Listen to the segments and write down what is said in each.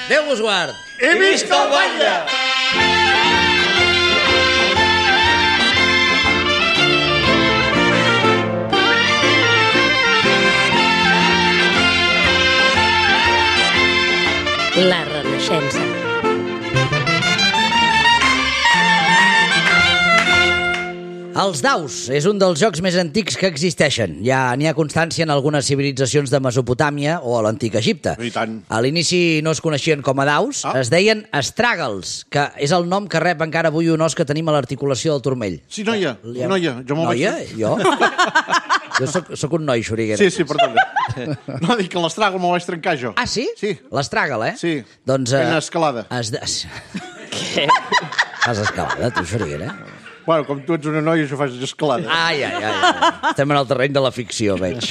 Déu vos guard. I visca el batlle! La Renaixença. Els daus és un dels jocs més antics que existeixen. Ja n'hi ha constància en algunes civilitzacions de Mesopotàmia o a l'antic Egipte. I tant. A l'inici no es coneixien com a daus, es deien astràgals, que és el nom que rep encara avui un os que tenim a l'articulació del turmell. Sí, noia, noia. Jo me'l Noia? vaig... Jo? Jo soc un noi, Xuriguera. Sí, perdona. No, dic que l'estràgal me'l vaig trencar, jo. Ah, sí? Sí. L'astràgal, eh? Sí. Doncs... Fent escalada. Què? Fas escalada, tu, Xuriguera? Bueno, com tu ets una noia, jo faig escalada. Ai. Estem en el terreny de la ficció, veig.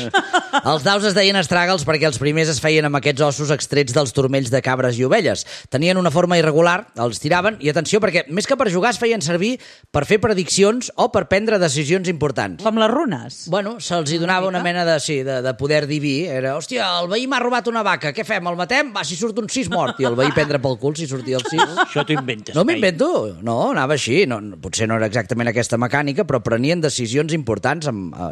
Els daus es deien astràgals perquè els primers es feien amb aquests ossos extrets dels turmells de cabres i ovelles. Tenien una forma irregular, els tiraven, i atenció, perquè més que per jugar es feien servir per fer prediccions o per prendre decisions importants. Com les runes. Bueno, se'ls hi donava una mena de poder diví. Era, hòstia, el veí m'ha robat una vaca, què fem, el matem? Va, si surt un 6 mort. I el veí prendre pel cul si sortia el 6. Això t'ho inventes. No m'invento, no, anava així. No, potser no era exactament aquesta mecànica, però prenien decisions importants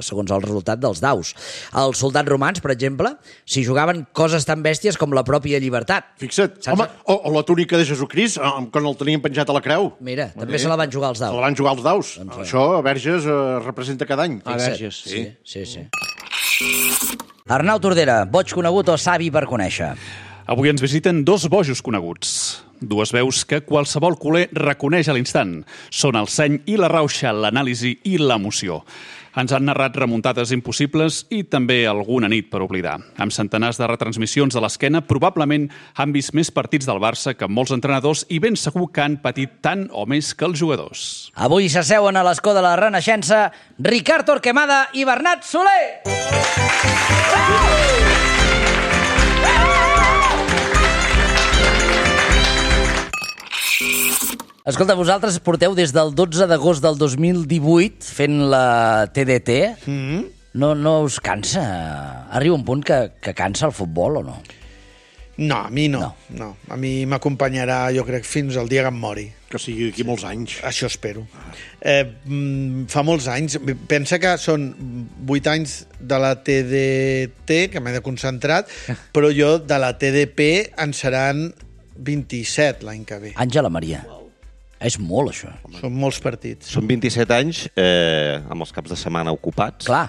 segons el resultat dels daus. Els soldats romans, per exemple, s'hi jugaven coses tan bèsties com la pròpia llibertat. Fixa't. Saps? Home, o la túnica de Jesucrist, quan el tenien penjat a la creu. Mira, també se la van jugar els daus. Se la van jugar els daus. Doncs Això a Verges representa cada any. A Verges, sí. Sí. Arnau Tordera, boig conegut o savi per conèixer? Avui ens visiten dos bojos coneguts. Dues veus que qualsevol culer reconeix a l'instant. Són el seny i la rauxa, l'anàlisi i l'emoció. Ens han narrat remuntades impossibles i també alguna nit per oblidar. Amb centenars de retransmissions de l'esquena, probablement han vist més partits del Barça que molts entrenadors i ben segur que han patit tant o més que els jugadors. Avui s'asseuen a l'escó de la Renaixença Ricard Torquemada i Bernat Soler! Escolta, vosaltres porteu des del 12 d'agost del 2018 fent la TDT. No us cansa? Arriba un punt que cansa el futbol o no? No, a mi no. A mi m'acompanyarà, jo crec, fins al dia que em mori. Que sigui d'aquí molts anys. Això espero. Fa molts anys. Pensa que són 8 anys de la TDT, que m'he de concentrat, però jo de la TDP en seran 27 l'any que ve. Àngela Maria. És molt, això. Són molts partits. Són 27 anys amb els caps de setmana ocupats. Clar,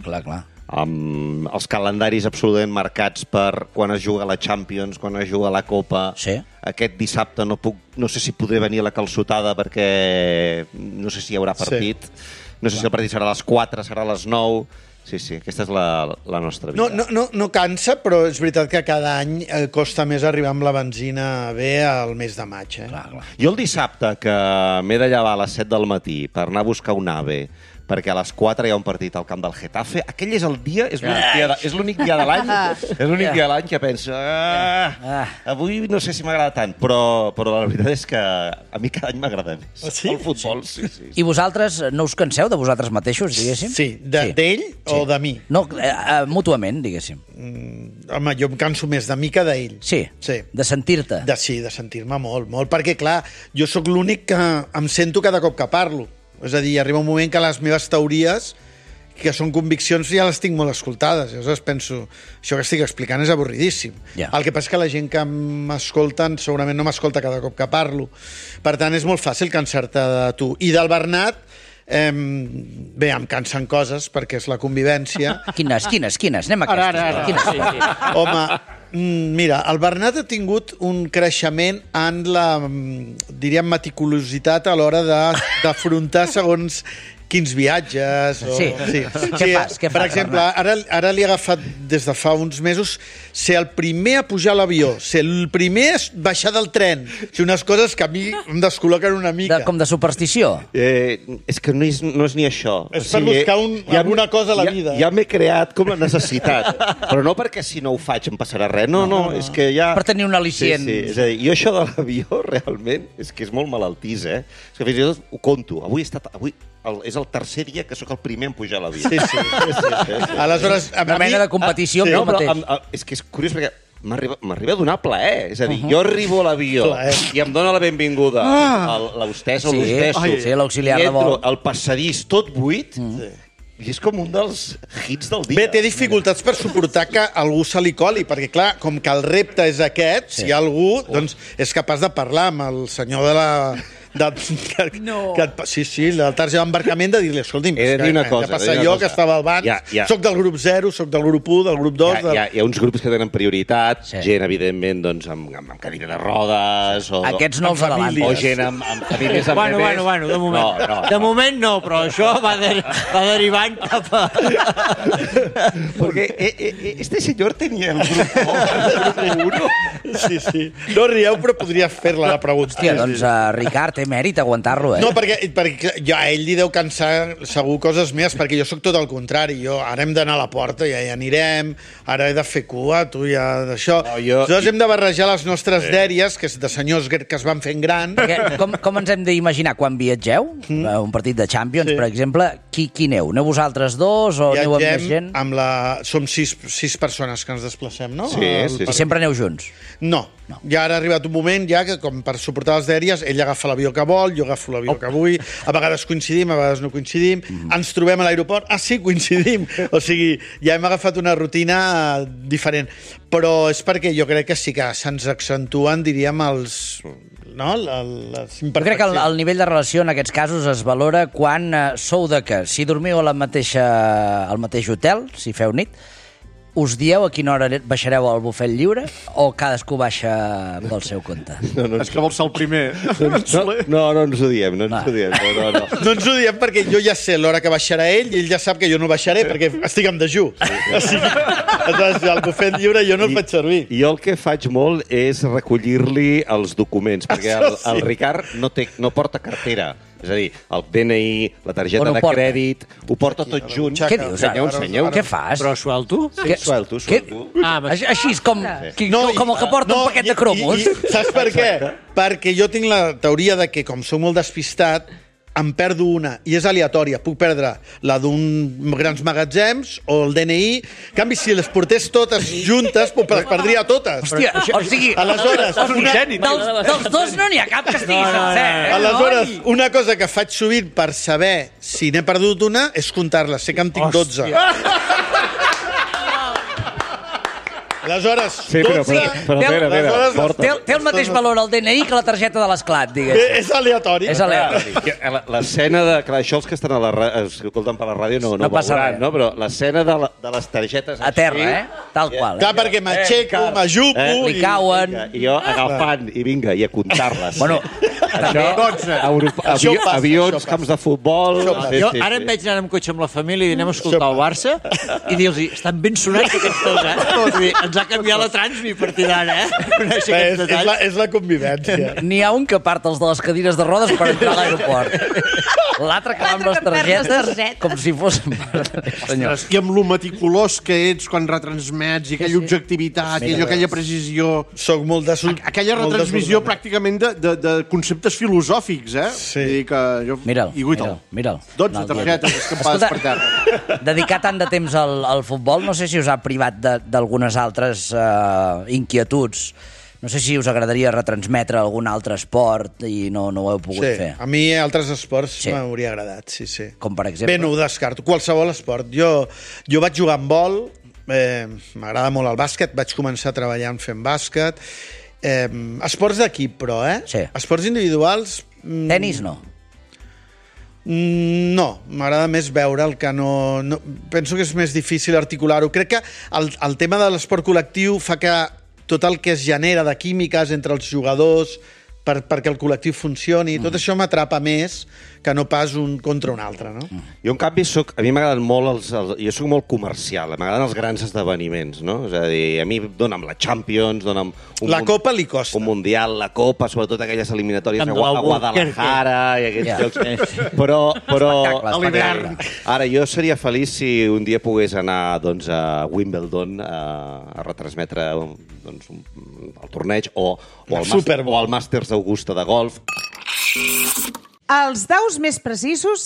clar. Amb els calendaris absolutament marcats per quan es juga la Champions, quan es juga la Copa. Sí. Aquest dissabte no sé si podré venir a la calçotada perquè no sé si hi haurà partit. No sé si el partit serà a les 4, serà a les 9... Sí, aquesta és la nostra vida. No cansa, però és veritat que cada any costa més arribar amb la benzina bé al mes de maig. Clar. Jo el dissabte, que m'he de llevar a les 7 del matí per anar a buscar un AVE, perquè a les 4 hi ha un partit al camp del Getafe, aquell és el dia, és l'únic dia de l'any, és l'únic dia de l'any que penso, avui no sé si m'agrada tant, però la veritat és que a mi cada any m'agrada més. Sí? El futbol, sí. I vosaltres no us canseu de vosaltres mateixos, diguéssim? Sí, d'ell o de mi? No, mútuament, diguéssim. Home, jo em canso més de mi que d'ell. Sí, de sentir-te. Sí, de sentir-me molt, perquè, clar, jo sóc l'únic que em sento cada cop que parlo. És a dir, arriba un moment que les meves teories, que són conviccions, ja les tinc molt escoltades. Llavors penso, això que estic explicant és avorridíssim. Ja. El que passa és que la gent que m'escolten segurament no m'escolta cada cop que parlo. Per tant, és molt fàcil cansar-te de tu. I del Bernat, bé, em cansen coses, perquè és la convivència. Quines? Anem a aquestes. Ara. Home, mira, el Bernat ha tingut un creixement en la, diríem, meticulositat a l'hora d'afrontar segons quins viatges... Sí. Què fas? Per exemple, ara li ha agafat des de fa uns mesos ser el primer a pujar a l'avió, ser el primer a baixar del tren. O sigui, unes coses que a mi em descol·loquen una mica. Com de superstició? És que no és ni això. És per buscar alguna cosa a la vida. Ja m'he creat com la necessitat. Però no perquè si no ho faig em passarà res. No, és que ja... Per tenir un al·licient. Sí. És a dir, jo això de l'avió realment és que és molt malaltís, És que fins i tot ho conto. Avui és el tercer dia que sóc el primer en pujar a l'avió. Sí. Aleshores, una mena de competició amb el mateix. És que és curiós perquè m'arriba a donar plaer. És a dir, jo arribo a l'avió i em dona la benvinguda l'hostessa o l'hostesso. Sí, l'auxiliar de vol. I entro al passadís tot buit i és com un dels hits del dia. Bé, té dificultats per suportar que algú se li coli, perquè, clar, com que el repte és aquest, si hi ha algú, doncs és capaç de parlar amb el senyor de la... Sí, del targeta d'embarcament, de dir-li, escolti'm, he de dir una cosa, què passa jo, que estava al banc, soc del grup 0, soc del grup 1, del grup 2... Hi ha uns grups que tenen prioritat, gent, evidentment, doncs, amb cadira de rodes... Aquests no els avanten. O gent amb famílies amb bebès. Bueno, de moment. De moment no, però això va derivant cap a... Porque este señor tenía el grupo 1. Sí. No rieu, però podria fer-la la pregunta. Hòstia, doncs, Ricard, té mèrit aguantar-lo, No, perquè jo, a ell li deu cansar segur coses més, perquè jo sóc tot el contrari. Ara hem d'anar a la porta, ja hi anirem, ara he de fer cua, tu ja d'això. Nosaltres hem de barrejar les nostres dèries, que és de senyors que es van fent grans. Com ens hem d'imaginar quan viatgeu? Un partit de Champions, per exemple, qui aneu? Aneu vosaltres dos o aneu amb més gent? Som sis persones que ens desplacem, no? Sí. I sempre aneu junts? No. Ja ara ha arribat un moment ja que, com per suportar les dèries, ell agafa l'avió que vol, jo agafo l'avió que vull, a vegades coincidim, a vegades no coincidim, ens trobem a l'aeroport, sí, coincidim. O sigui, ja hem agafat una rutina diferent. Però és perquè jo crec que sí que se'ns accentuen, diríem, les imperfeccions. Jo crec que el nivell de relació en aquests casos es valora quan sou de que, si dormiu al mateix hotel, si feu nit, us dieu a quina hora baixareu al bufet lliure o cadascú baixa pel seu compte? És que vol ser el primer. No ens ho diem, no ens ho diem. No ens ho diem perquè jo ja sé l'hora que baixarà ell i ell ja sap que jo no baixaré perquè estic en dejú. El bufet lliure jo no el faig servir. Jo el que faig molt és recollir-li els documents, perquè el Ricard no porta cartera. És a dir, el DNI, la targeta de crèdit, ho porta tot junt. Què dius? Ensenyeu. Què fas? Però suelto? Sí, suelto. Així és com el que porta un paquet de cromos. Saps per què? Perquè jo tinc la teoria de que, com soc molt despistat, em perdo una, i és aleatòria. Puc perdre la d'un grans magatzems o el DNI. En canvi, si les portés totes juntes, les perdria totes. Hòstia, o sigui... Aleshores, dels dos no n'hi ha cap que estigui sencer. Aleshores, una cosa que faig sovint per saber si n'he perdut una és comptar-les. Sé que en tinc 12. Aleshores, sí, però té el mateix valor el DNI que la targeta de l'esclat, diguéssim. És aleatori. És aleatori. L'escena de... Clar, això els que estan escoltant per la ràdio no passa veuran, no? Però l'escena de les targetes... A terra, Tal qual. Clar, perquè m'aixeco, m'ajupo... Li cauen... I jo agafant, i vinga, i a comptar-les. Bueno, avions, camps de futbol... Jo ara em veig anar amb cotxe amb la família i anem a escoltar el Barça i dir-los, estan ben sonats aquests dos, ens ha canviat la transmi a partir d'ara, És la convivència. N'hi ha un que part els de les cadires de rodes per entrar a l'aeroport. L'altre que va amb les targetes com si fos... Senyors. I amb lo meticulós que ets quan retransmets i aquella objectivitat i aquella precisió... Soc molt de... Aquella retransmissió pràcticament de conceptes filosòfics, Sí. Mira'l. 12 targetes escampades per terra. Dedicar tant de temps al futbol, no sé si us ha privat d'algunes altres inquietuds. No sé si us agradaria retransmetre algun altre esport i no ho heu pogut fer. A mi altres esports m'hauria agradat, sí. Com per exemple? Bé, no ho descarto. Qualsevol esport. Jo vaig jugar amb vol, m'agrada molt el bàsquet, vaig començar treballant fent bàsquet. Esports d'equip, però, Sí. Esports individuals... Tenis, no? No, m'agrada més veure el que no... Penso que és més difícil articular-ho. Crec que el tema de l'esport col·lectiu fa que tot el que es genera de químiques entre els jugadors perquè el col·lectiu funcioni, tot això m'atrapa més que no pas un contra un altre, no? Jo, en canvi, a mi m'agraden molt jo soc molt comercial, m'agraden els grans esdeveniments, no? És a dir, a mi dona'm la Champions, dona'm... La Copa li costa. Un Mundial, la Copa, sobretot aquelles eliminatòries a Guadalajara i aquests llocs. Però a l'hivern. Ara, jo seria feliç si un dia pogués anar a Wimbledon a retransmetre el torneig o el Màsters d'Augusta de golf. Els daus més precisos,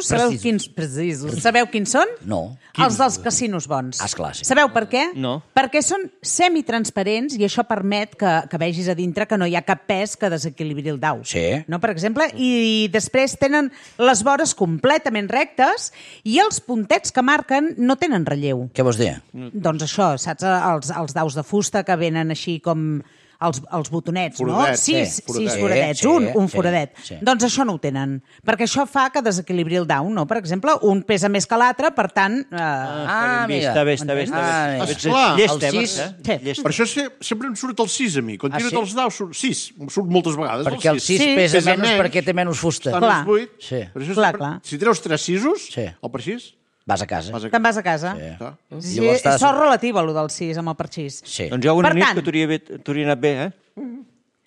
sabeu quins són? No. Els dels casinos bons. Esclar, sí. Sabeu per què? No. Perquè són semitransparents i això permet que vegis a dintre que no hi ha cap pes que desequilibri el dau. Sí. No, per exemple, i després tenen les vores completament rectes i els puntets que marquen no tenen relleu. Què vols dir? Doncs això, saps? Els daus de fusta que venen així com els botonets, Foradets, no? sí, Sis foradets, un foradet. sí. Doncs això no ho tenen, perquè això fa que desequilibri el dau, no? Per exemple, un pesa més que l'altre, per tant... amiga. Està bé. Esclar, Llesta, el sis- Sí. Per això sempre em surt el 6 a mi. Quan tiro sí? els daus, surt 6. Em surt moltes vegades Perquè el 6 Sí. pesa Pesa menys menys. perquè té menys fusta. Està Clar. més buit. Sí. Per això Clar, sempre- clar. Si treus 3 sisos, Sí. el perxís, Vas a casa. vas a Te'n vas a casa. Clar. Sí, Llavors és estàs- sort relativa, allò del 6 amb el perxís. Sí. Doncs hi ha una Per nit tant- que t'hauria anat bé,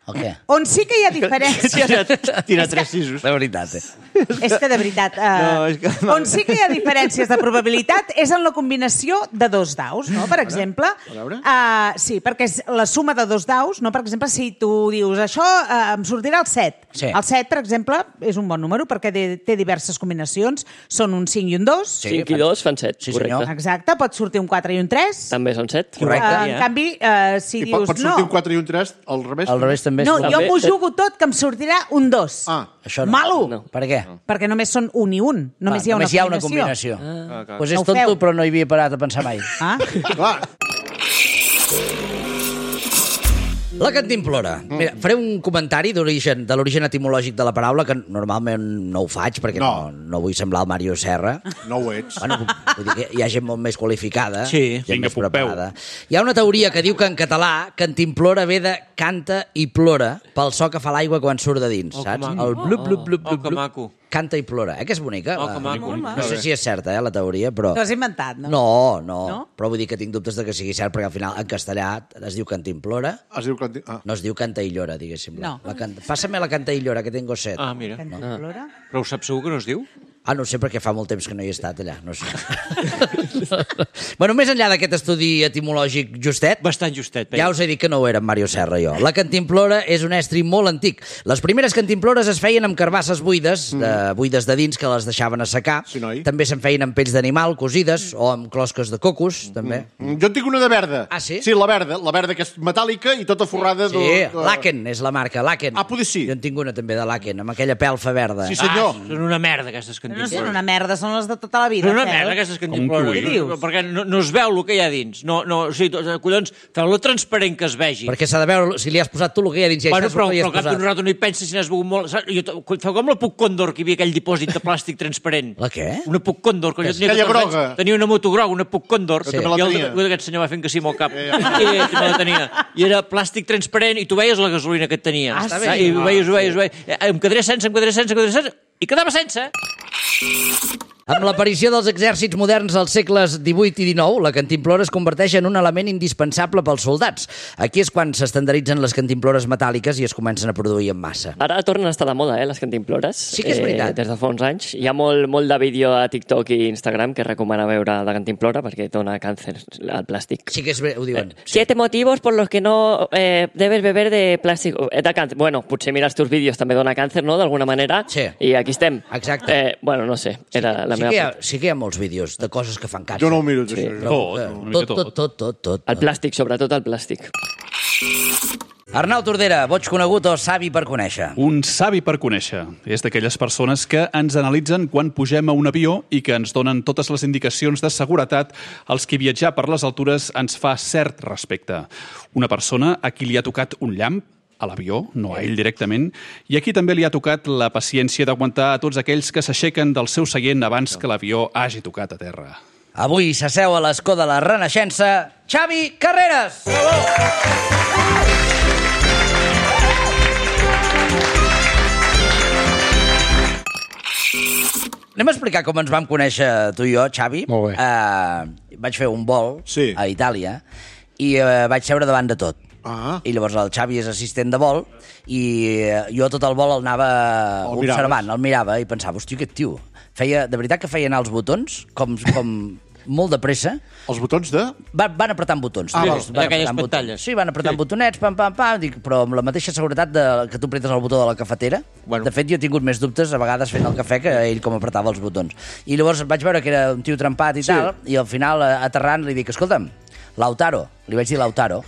El què? On sí que hi ha diferències... Tirar 3 sisos. De veritat, És que, de veritat, No, és que- on sí que hi ha diferències de probabilitat és en la combinació de dos daus, no? Per exemple, veure. sí, perquè és la suma de dos daus, no? Per exemple, si tu dius això em sortirà el 7. Sí. El 7, per exemple, és un bon número perquè té diverses combinacions. Són un 5 i un 2. Sí. 5 i 2 fan 7, Sí, correcte. senyor. Exacte, pot sortir un 4 i un 3. També són 7. Correcte. En canvi, si I dius pot sortir un no... 4 i un 3 al revés. Al revés també. No, és jo També- m'ho jugo tot que em sortirà un 2. Ah, Això no. Malo! No. Per què? Perquè només són un i un. Només hi ha una combinació. Pues és No ho feu. tonto, però no hi havia parat a pensar mai. Ah? clar. La cantimplora. Mira, faré un comentari de l'origen etimològic de la paraula, que normalment no ho faig, perquè no vull semblar el Mario Serra. No ho ets. Bueno, vull dir que hi ha gent molt més qualificada, Sí. gent Vinga, més Pompeu. preparada. Hi ha una teoria que diu que en català cantimplora ve de canta i plora pel so que fa l'aigua quan surt de dins, Oh, que saps? maco. El blup, blup, blup, Oh, blup, que blup. maco. Canta i plora. Que és bonica? Oh, que maco. No sé si és certa, la teoria, però... T'ho has inventat, no? No, No? però vull dir que tinc dubtes de que sigui cert, perquè al final en castellà es diu cantimplora, Es diu que... Ah. no es diu canta i llora, diguéssim. No. Pásame la canta i llora, que tengo set. Ah, mira. Cantimplora? Però ho saps segur que no es diu? Ah, no ho sé, perquè fa molt temps que no hi he estat allà, no sé. Bueno, més enllà d'aquest estudi etimològic justet, Bastant justet. ja us he dit que no ho era en Mario Serra, jo. La cantimplora és un estri molt antic. Les primeres cantimplores es feien amb carbasses buides, buides de dins, que les deixaven assecar. Sí, noi. També se'n feien amb pells d'animal, cosides, o amb closques de cocos, també. Jo en tinc una de verda. Ah, sí? Sí, la verda que és metàl·lica i tota forrada Sí, de... Laken és la marca, Laken. Ah, potser sí. Jo en tinc una també de Laken, amb aquella pelfa verda. Sí, senyor. Són una merda, aquestes No cantimplores. són una merda, són les de tota la vida. Són una Fel. merda, aquestes Com cantimplores. un Què dius? Perquè no es veu el que hi ha dins. No, o sigui, collons, feu-lo transparent que es vegi. Perquè s'ha de veure si li has posat tu el que hi ha dins. I Bueno, saps però el que hi al has cap d'un posat. rato no hi penses si n'has begut molt. Saps? Feu com la Puc Condor, que hi havia aquell dipòsit de plàstic transparent. La què? Una Puc Condor, que jo tenia Aquella 14 groga. anys, tenia una moto groga, una Puc Condor, Jo també la i tenia. aquest senyor va fent que sí amb el cap. I també la tenia. I era plàstic transparent, i tu veies la gasolina que et tenia. Ah, està Saps? bé. I ho veies. Em quedaré sense, i quedava sense. Amb l'aparició dels exèrcits moderns als segles XVIII i XIX, la cantimplora es converteix en un element indispensable pels soldats. Aquí és quan s'estandaritzen les cantimplores metàl·liques i es comencen a produir en massa. Ara tornen a estar de moda, les cantimplores. Sí que és veritat. Des de fa uns anys. Hi ha molt de vídeo a TikTok i Instagram que recomana veure de cantimplora perquè dona càncer al plàstic. Sí que és, ho diuen. 7 motivos por los que no debes beber de plàstic. De càncer. Bueno, potser mirar els teus vídeos també dona càncer, no?, d'alguna manera. Sí. I aquí estem. Exacte. Bueno, no sé, era la meva... Sí que hi ha molts vídeos de coses que fan càncer. Jo no ho miro, això. Tot. El plàstic, sobretot el plàstic. Arnau Tordera, boig conegut o savi per conèixer? Un savi per conèixer. És d'aquelles persones que ens analitzen quan pugem a un avió i que ens donen totes les indicacions de seguretat als qui viatjar per les altures ens fa cert respecte. Una persona a qui li ha tocat un llamp a l'avió, no a ell directament, i aquí també li ha tocat la paciència d'aguantar a tots aquells que s'aixequen del seu seient abans que l'avió hagi tocat a terra. Avui s'asseu a l'escó de la Renaixença, Xavi Carreras! Anem a explicar com ens vam conèixer tu i jo, Xavi. Molt bé. Vaig fer un vol Sí. a Itàlia i vaig seure davant de tot. Ah. I llavors el Xavi és assistent de vol i jo tot el vol el anava El observant, miraves. el mirava i pensava, hòstia, aquest tio, de veritat que feia anar els botons com molt de pressa. Els botons de... Van apretant botons. Ah, Van d'aquelles apretant pantalles. botons. Sí, van apretant botonets, pam, pam, pam, dic, però amb la mateixa seguretat que tu apretes el botó de la cafetera. Bueno. De fet, jo he tingut més dubtes a vegades fent el cafè que ell com apretava els botons. I llavors vaig veure que era un tio trempat i tal, i al final, aterrant, li dic, escolta'm, Lautaro, li vaig dir Lautaro,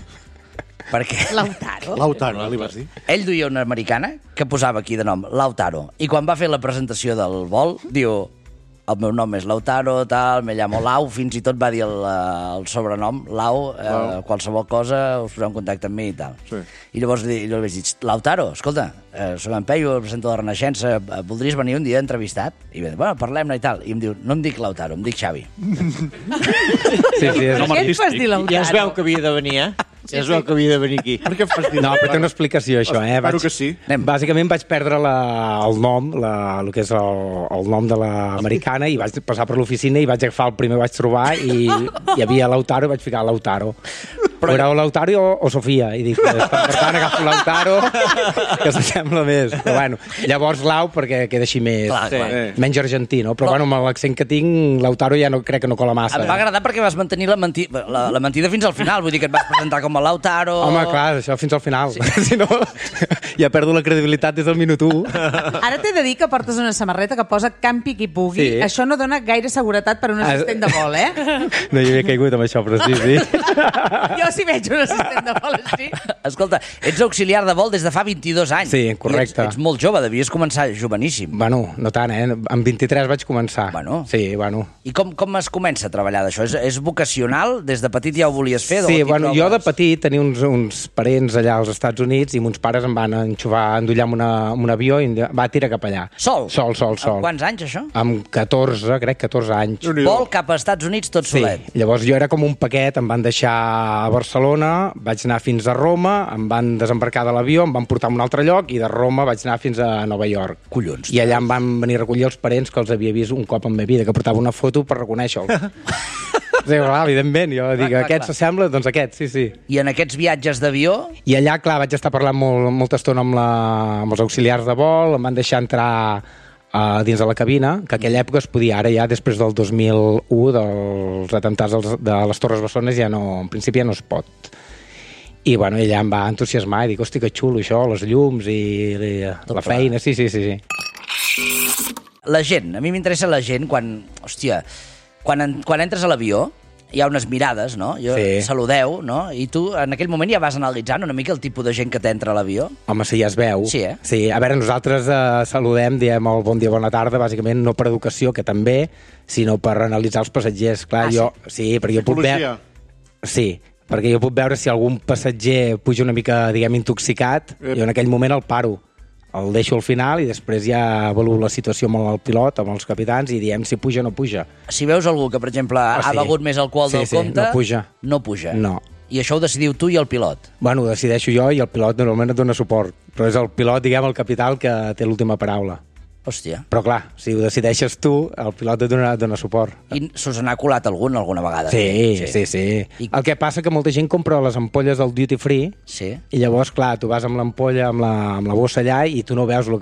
perquè... Lautaro, li vas dir. Ell duia una americana que posava aquí de nom Lautaro, i quan va fer la presentació del vol, diu, el meu nom és Lautaro, tal, me llamo Lau, fins i tot va dir el sobrenom, Lau, qualsevol cosa, us poseu en contacte amb mi i tal. Sí. I llavors li vaig dir, Lautaro, escolta, soc en Peyu, el presento de la Renaixença, voldries venir un dia entrevistat? I va dir, bueno, parlem-ne i tal. I em diu, no em dic Lautaro, em dic Xavi. Sí, és Per què et fas dir Lautaro? Ja es veu que havia de venir, Ja es veu que havia de venir aquí. Per què em fas dir? No, però té una explicació, això, Espero que sí. Bàsicament vaig perdre el nom, el que és el nom de l'americana, i vaig passar per l'oficina i vaig agafar el primer que vaig trobar i hi havia Lautaro i vaig ficar Lautaro. Però era o Lautaro o Sofia, i dic, per tant agafo Lautaro, que s'assembla més. Però bueno, llavors Lau, perquè queda així més, menys argentí, no? Però bueno, amb l'accent que tinc, Lautaro ja no crec que no cola massa. Em va agradar perquè vas mantenir la mentida fins al final, vull dir que et vas presentar com a Lautaro... Home, clar, això fins al final. Sí. Si no, ja perdo la credibilitat des del minut 1. Ara t'he de dir que portes una samarreta que posa campi qui pugui. Sí. Això no dona gaire seguretat per un assistent de vol, No hi havia caigut amb això, però sí. Jo si veig un assistent de vol així... Escolta, ets auxiliar de vol des de fa 22 anys. Sí, correcte. Ets molt jove, devies començar joveníssim. Bueno, no tant, Amb 23 vaig començar. Bueno. Sí, bueno. I com es comença a treballar d'això? És vocacional? Des de petit ja ho volies fer? Sí, bueno, jo de petit tenia uns parents allà als Estats Units i mons pares em van endollar amb un avió i em va tirar cap allà. Sol? Sol. Amb quants anys, això? Amb 14, crec, 14 anys. Vol cap als Estats Units tot solet. Sí, llavors jo era com un paquet, em van deixar a Barcelona, vaig anar fins a Roma, em van desembarcar de l'avió, em van portar a un altre lloc i de Roma vaig anar fins a Nova York. Collons. I allà em van venir a recollir els parents que els havia vist un cop en la meva vida, que portava una foto per reconèixer-los. Sí, clar, evidentment, jo dic, aquest s'assembla, doncs aquest, sí. I en aquests viatges d'avió? I allà, clar, vaig estar parlant molta estona amb els auxiliars de vol, em van deixar entrar dins de la cabina, que a aquella època es podia, ara ja després del 2001, dels atemptats de les Torres Bessones, ja no, en principi ja no es pot. I bueno, ella em va entusiasmar i dic, hosti, que xulo això, les llums i la feina, sí. La gent, a mi m'interessa la gent quan entres a l'avió hi ha unes mirades, no? Saludeu, no? I tu en aquell moment ja vas analitzant una mica el tipus de gent que t'entra a l'avió? Home, sí, ja es veu. Sí, Sí, a veure, nosaltres saludem, diem el bon dia, bona tarda, bàsicament no per educació, que també, sinó per analitzar els passatgers. Clar, sí, perquè jo puc veure... Sí, perquè jo puc veure si algun passatger puja una mica, diguem, intoxicat, jo en aquell moment el paro. El deixo al final i després ja avaluo la situació amb el pilot, amb els capitans, i diem si puja o no puja. Si veus algú que, per exemple, ha begut més alcohol del compte... no puja. No. I això ho decidiu tu i el pilot? Bueno, ho decideixo jo i el pilot normalment et dona suport. Però és el pilot, diguem, el capital, que té l'última paraula. Hòstia. Però clar, si ho decideixes tu, el pilot et dona suport. I se us n'ha colat algun alguna vegada? Sí. El que passa que molta gent compra les ampolles del duty free i llavors, clar, tu vas amb l'ampolla, amb la bossa allà i tu no veus el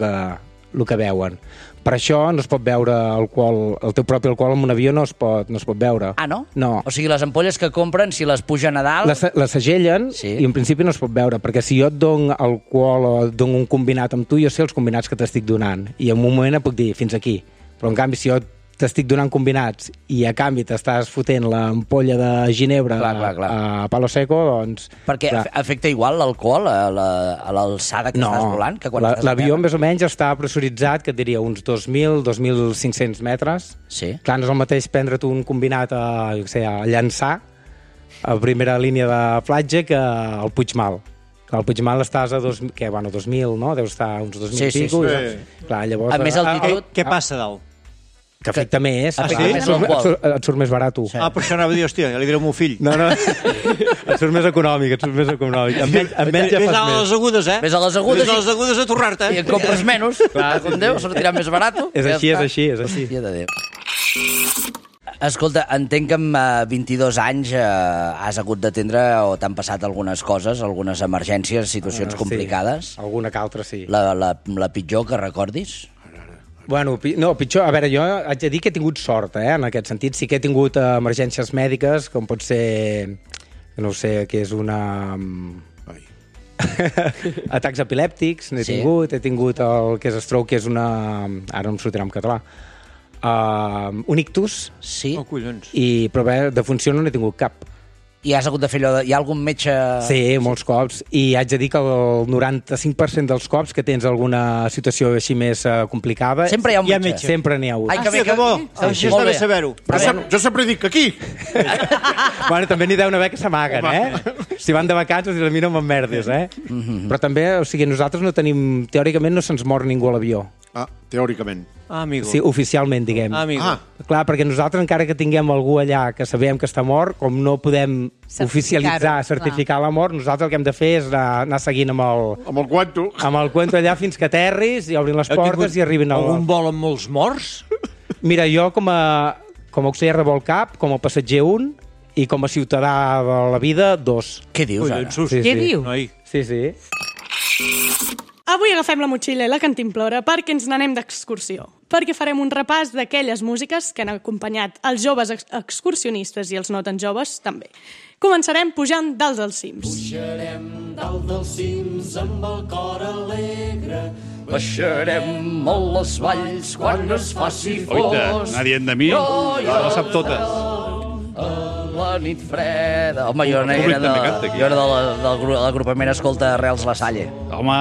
que veuen. Per això no es pot veure alcohol, el teu propi alcohol en un avió no es pot veure. Ah, no? No. O sigui, les ampolles que compren, si les pugen a dalt... Les segellen i en principi no es pot veure, perquè si jo et dono alcohol o et dono un combinat amb tu, jo sé els combinats que t'estic donant, i en un moment et puc dir fins aquí. Però en canvi, si jo t'estic donant combinats i a canvi t'estàs fotent l'ampolla de ginebra a palo seco, doncs... Perquè afecta igual l'alcohol a l'alçada que estàs volant? L'avió més o menys està pressuritzat, que et diria uns 2.000-2.500 metres. Sí. Clar, no és el mateix prendre't un combinat a llançar a primera línia de platja que al Puigmal. Al Puigmal estàs a 2.000, no? Deus estar uns 2.000 i pico. Clar, llavors... A més altitud... Què passa dalt? Que afecta més. Més et surt més barat. Ah, per això anava a dir, hòstia, ja li diré al meu fill. No. Et surt més econòmic, Amb menys ja fas més. Ves a les agudes, Ves a les agudes. Ves a les agudes a torrar-te. I en compres menys. Clar, com Déu, sortirà més barat. És així. Hòstia de Déu. Escolta, entenc que amb 22 anys has hagut d'atendre o t'han passat algunes coses, algunes emergències, situacions complicades. Alguna que altra, sí. La pitjor que recordis? Bueno, no, pitjor, a veure, jo haig de dir que he tingut sort, en aquest sentit. Sí que he tingut emergències mèdiques, com pot ser, no sé, que és una... atacs epilèptics, n'he tingut, he tingut el que és stroke, que és una... Ara no em sortirà en català. Un ictus. Sí. Oh, collons. Però bé, de funció no n'he tingut cap. I has hagut de fer allò de... Hi ha algun metge... Sí, molts cops. I haig de dir que el 95% dels cops que tens alguna situació així més complicada... Sempre hi ha un metge. Sempre n'hi ha hagut. Ai, que bo. Això està bé saber-ho. Jo sempre dic que aquí. Bueno, també n'hi deu haver que s'amaguen, Si van de vacances i la mira amb merdes, Però també, o sigui, nosaltres no tenim... Teòricament no se'ns mor ningú a l'avió. Teòricament. Amigo. Sí, oficialment, diguem. Amigo. Clar, perquè nosaltres, encara que tinguem algú allà que sabem que està mort, com no podem oficialitzar, certificar la mort, nosaltres el que hem de fer és anar seguint amb el cuento. Amb el cuento allà fins que aterris i obrin les portes i arribin al... Algun vol amb molts morts? Mira, jo com a auxiliar de vol cap, com a passatger 1 i com a ciutadà de la vida 2. Què dius, ara? Què dius? Sí. Avui agafem la motxilla i la cantimplora perquè ens n'anem d'excursió. Perquè farem un repàs d'aquelles músiques que han acompanyat els joves excursionistes i els no tan joves també. Començarem pujant dalt dels cims. Pujarem dalt dels cims amb el cor alegre. Baixarem molt les valls quan es faci fos. Oita, anar dient de mi, la sap totes. La nit freda... Home, jo era de l'agrupament Escolta Reals La Salle. Home,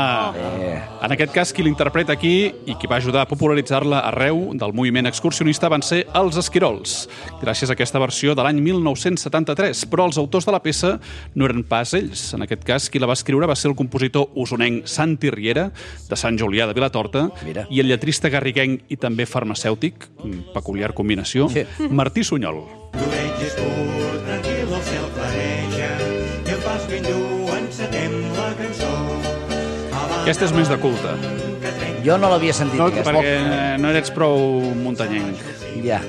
en aquest cas, qui l'interpreta aquí i qui va ajudar a popularitzar-la arreu del moviment excursionista van ser els Esquirols, gràcies a aquesta versió de l'any 1973. Però els autors de la peça no eren pas ells. En aquest cas, qui la va escriure va ser el compositor usonenc Santi Riera, de Sant Julià de Vilatorta, i el lletrista garriguenc i també farmacèutic, peculiar combinació, Martí Sunyol. L'orella és pur, tranquil, el cel clareja, i el pas ben dur encetem la cançó. Aquesta és més de culte. Jo no l'havia sentit. Perquè no eres prou muntanyenc. Ja.